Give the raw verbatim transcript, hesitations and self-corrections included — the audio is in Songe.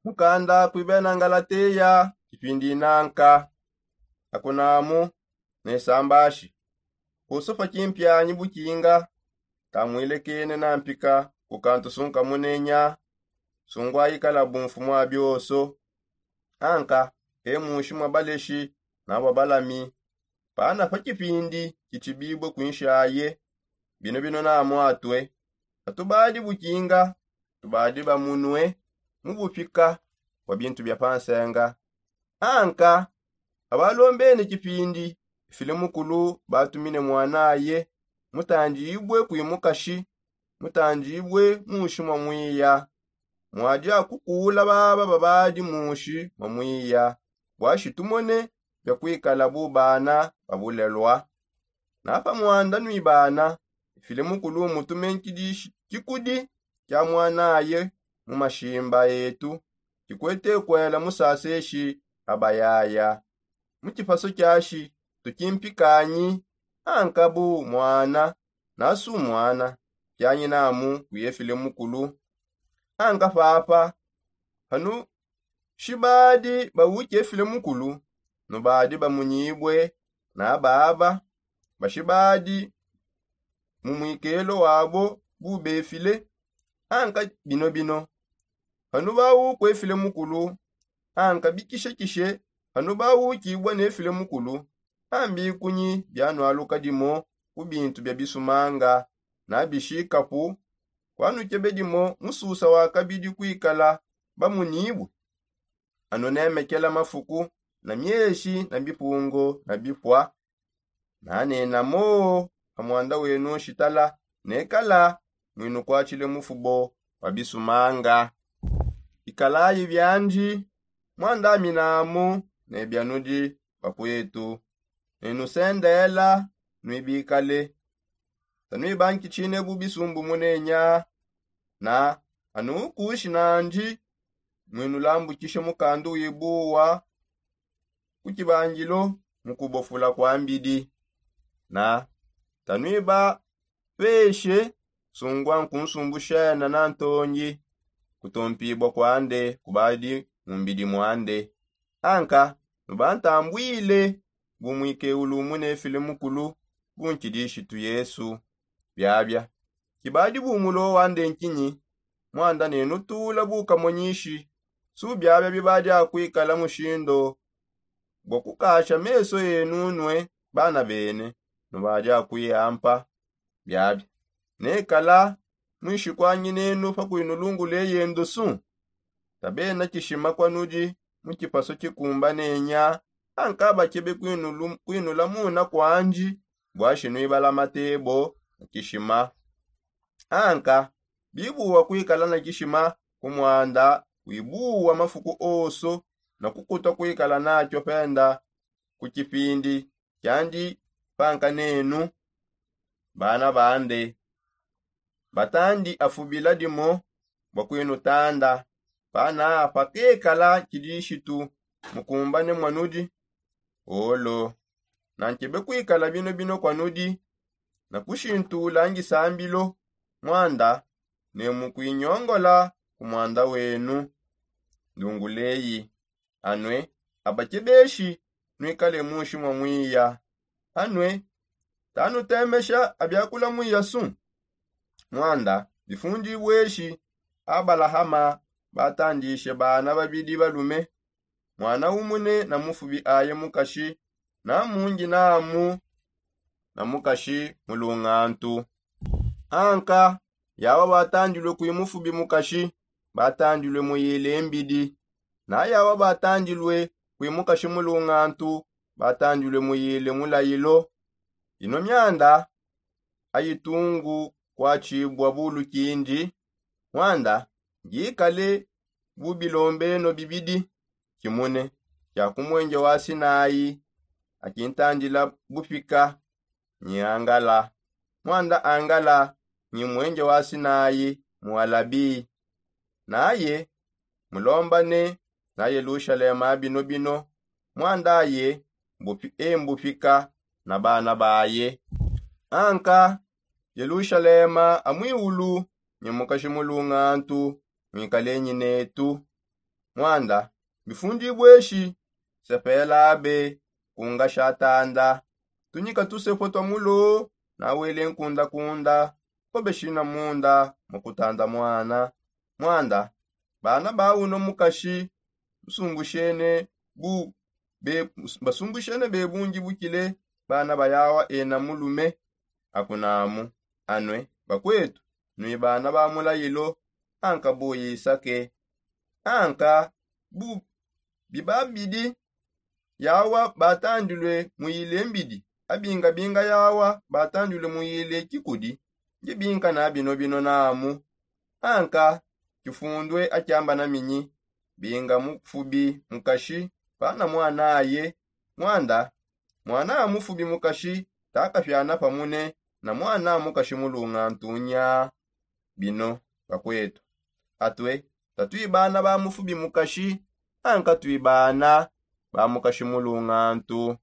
Mukanda kuibena ngalateya kipindi nanka. Akunamu ne sambashi kusufa kimpianyi bukinga. Tamwilekene na mpika kukantu sunka munenya sungwa ikala bumfu mwa bioso. Anka e mushi mwa baleshi na bwa balami pana pa kipindi kitshibibue kuinshaye. Bino bino namwatue atubadi bukinga tubadi bamunue mu bupika bwa bintu bia pansenga. Anka abalombene kipindi ifile mukulu batumine mwanaye mutandibue kuimukashi mutandibue mushi mwa mwiya. Mwadi akukula baba babadi mushi mwa mwiya bwashi tumone bia kuikala bu bana babulelwa. Napa mwanda nwibana ifile mukulu mutume nkidishi kikudi kia mwanaye mu mashimba etu kikwete kuela musaseshi abayaya mu kipaso kiashi tukimpikanyi. Anka bu mwana nasu mwana kianyinamu kuyefile mukulu. Anka papa panu shibadi bawuki efile mukulu nubadi bamunyibue na baba bashibadi mu mwikelo wabo bubefile. Anka bino bino panu bawuku efile mukulu anka bikishekishe panu bawukibua nefile mukulu. Ambikunyi bianualuka dimo ku bintu bia bisumanga na bishikapu kuanukebe dimo mususa wa kabidi kuikala bamunibue. Anu nemekela mafuku na mieshi na bipungo na bipua nanena moo pa mwanda wenu nshitala nekala mwinukwatshile mufubo wa bisumanga. Ikalayi biandi mwandaminamu ne bianudi bakuetu ne nusendela nwibikale. Tanuibankitshine bu bisumbu munenya na anukushi nandi mwinulambukishe mukandu wibuwa ku kibangilo mu kubofula kwa mbidi na tanuibapeshe sungwa nkunsumbushena na ntongi. Kutompibua kwande kubadi mu mbidi mwande anka nubantambwile bu mwikeulu munefile mukulu bu nkidishitu yesu. Biabia kibadi bu mulo wande nkinyi mwanda nenutula bukamonyishi su biabia bibadi akuikala mushindo bua kukasha meso enu nue bana bene nubadi akuiampa. Biabia nekala muishi kuanyi nenu pa kuinulungula eyendo su tabena kishima kuanudi mu kipaso kikumba nenya anka bakebe kuinulamuna kuandi bwashi nuibala matebo na kishima. Anka bibuwa kuikala na kishima ku mwanda wibuwa mafuku oso na kukuta kuikala nakio penda ku kipindi kiandi panka nenu bana bande batandi afubila dimo bua kuinutanda pana pakekala kidishitu mukumbane muanudi. Olo nankebe kuikala bino bino kuanudi na kushintula ngisambilo mwanda ne mukuinyongola ku mwanda wenu. Ndunguleyi anue abakebeshi nuikale mushi mua mwiya anue tanutemesha abiakula mwiya su. Mwanda bifundibweshi abalahama batandishe bana babidi balume mwana umune na mufubi aye mukashi na mungi namu na mukashi mulungantu. Anka yawa batandilue kui mufubi mukashi batandilue muyile mbidi na yawa batandilue kui mukashi mulungantu batandilue muyile mulayilo. Ino mianda ayitungu kuatshibua bulu kindi mwanda ngikale bu bilombeno bibidi kimune kia ku muenje wa sinayi akintandila bupika nyi angala mwanda angala nyi muenje wa sinayi mu alabi. Naye mulombane na yelushalema bino bino mwanda aye mbupi embupika na bana baye. Anka yelushalema amwiulu nyi mukashi mulungantu mwikalenyi netu. Mwanda, bifundibweshi sepelabe kunga shatanda, tunyika tusepo twa mulo nawele nkundakunda kobeshina munda mukutanda mwana. Mwanda, bana bauno mukashi musumbushene bu be basumbushene bebungi bukile bana bayawa ena mulume. Akunamu anwe bakwetu nwi bana ba mulayilo, anka buyisake anka bu bibabidi yawa batandilwe muyile mbidi, abingabinga yawa batandilwe muyile kikudi. Ndibinka na bino bino namu anka kifundwe akyamba na minyi binga mufubi mukashi pana mwana aye. Mwanda, mwana amufubi mukashi takafyana pamune na mwana amukashi mulunga ntunya. Bino bakwetu atwe tatwibana ba mufubi mukashi anka twibana ba mukashi mulunga ntu.